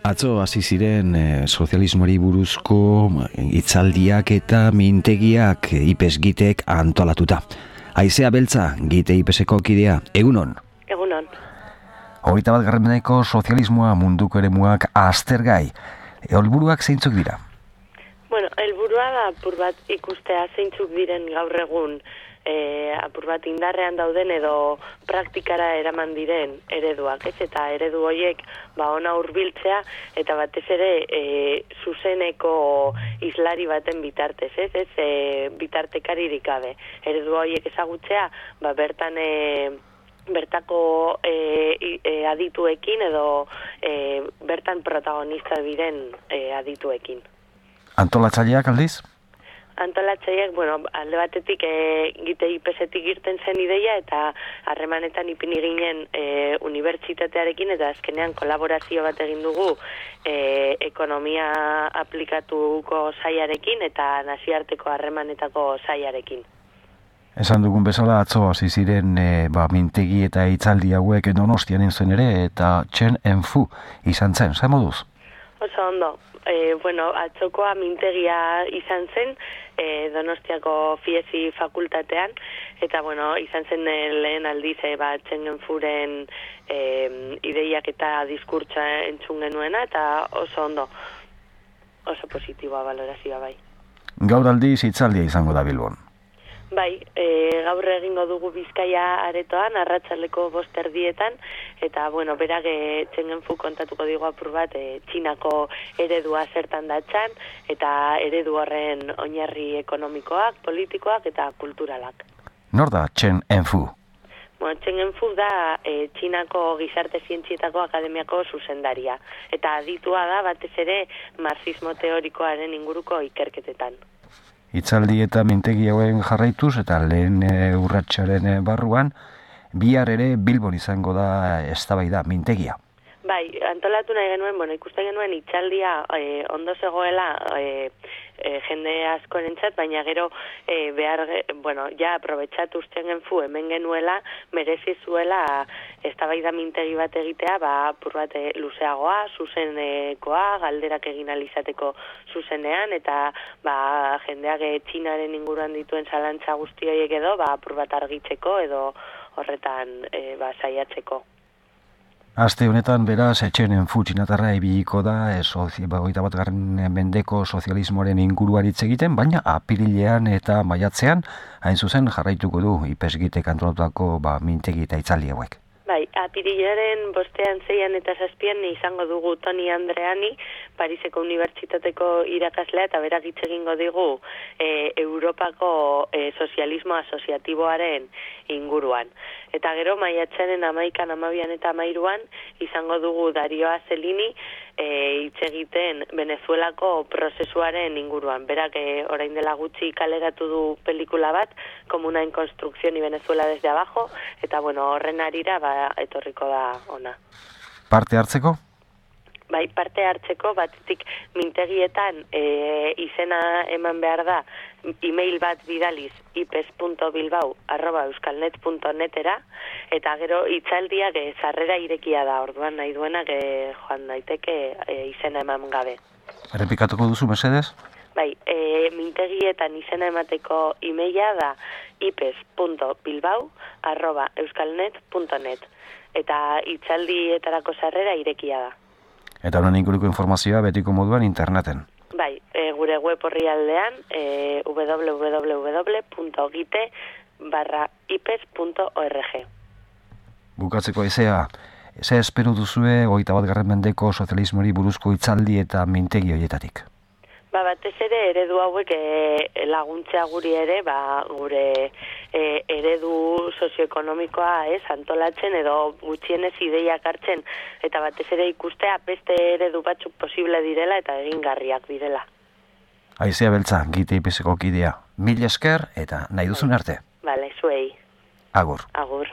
Atzo hasi ziren sozialismoari buruzko hitzaldiak eta mintegiak IPES-gitek antolatuta. Haizea Beltza, gite IPES-eko kidea, egunon? Egunon. 21. mendeko sozialismoa munduko eremuak aztergai. Helburuak zeintzuk dira? Bueno, helburua da apur bat ikustea zeintzuk diren gaur egun apur bat indarrean dauden edo praktikara eraman diren ereduak, ez? Eta eredu horiek ona hurbiltzea eta batez ere zuzeneko islari baten bitartez, ez? Bitartekaririk gabe. Eredu horiek ezagutzea, bertako adituekin edo bertan protagonista diren adituekin. Antolatzaileak aldiz? Antolatzaileak, alde batetik gite IPES-etik irten zen ideia eta harremanetan ipini ginen unibertsitatearekin eta azkenean kolaborazio bat egin dugu ekonomia aplikatuko sailarekin eta nazioarteko harremanetako sailarekin. Esan dugun bezala atzo hasi ziren mintegi eta hitzaldi hauek Donostian zen ere eta Chen Enfu izan zen, zer moduz? Oso ondo. Atzokoa mintegia izan zen Donostiako Fiesi fakultatean eta izan zen lehen aldiz Chen Enfuren ideiak eta diskurtsa entzun genuena eta oso ondo, oso positiboa balorazioa bai. Gaur aldiz hitzaldia izango da Bilbon. Bai, gaur egingo dugu Bizkaia aretoan, arratsaldeko 5:00 eta, berak Chen Enfu kontatuko digu apur bat Txinako eredua zertan datzan, eta eredu horren oinarri ekonomikoak, politikoak eta kulturalak. Nor da Chen Enfu? Chen Enfu da Txinako gizarte zientzietako akademiako zuzendaria, eta aditua da batez ere marxismo teorikoaren inguruko ikerketetan. Hitzaldi eta mintegi hauen jarraituz eta lehen urratsaren barruan, bihar ere Bilbon izango da eztabaida mintegia. Bai, antolatu nahi genuen, ikusten genuen hitzaldia ondo zegoela jende askorentzat, baina gero ja aprobetxatu Chen Enfu hemen genuela, merezi zuela eztabaida mintegi bat egitea, apur bat luzeagoa, zuzenekoa, galderak egin alizateko zuzenean, eta jendeak Txinaren inguruan dituen zalantza guzti horiek edo, apur bat argitzeko edo horretan saiatzeko. Aste honetan, beraz, Chen Enfu txinatarra ibiliko da 21. mendeko sozialismoaren inguruan hitz egiten, baina apirilean eta maiatzean, hain zuzen jarraituko du IPES-gitek antolatutako mintegi eta hitzaldi hauek. Bai, apirilaren 5, 6 eta 7 izango dugu Toni Andreani, Pariseko Unibertsitateko irakaslea, eta berak hitz egingo digu Europako sozialismo asoziatiboaren inguruan. Eta gero maiatzaren 11, 12 eta 13 izango dugu Dario Azelini hitz egiten Venezuelako prozesuaren inguruan. Berak orain dela gutxi kaleratu du pelikula bat, Comuna en Construcción y Venezuela desde abajo, eta horren arira etorriko da ona. Parte hartzeko? Bai, parte hartzeko, batetik mintegietan izena eman behar da, email bat bidaliz ipes.bilbao@euskalnet.netera, eta gero hitzaldiak sarrera irekia da, orduan nahi duenak joan daiteke izena eman gabe. Errepikatuko duzu, mesedez? Bai, mintegietan izena emateko emaila da ipes.bilbao@euskalnet.net, eta hitzaldietarako sarrera irekia da. Eta honen inguruko informazioa betiko moduan interneten. Bai, gure web orrialdean www.gite/ipes.org. Bukatzeko Haizea, ze espero duzue 21. mendeko sozialismoari buruzko hitzaldi eta mintegi horietatik? Batez ere eredu hauek laguntzea guri ere, gure eredu sozioekonomikoa antolatzen edo gutxienez ideiak hartzen, eta batez ere ikustea beste eredu batzuk posible direla eta egingarriak direla. Haizea Beltza, gite IPES-eko kidea. Mil esker eta nahi duzun arte. Bale, zuei. Agur. Agur.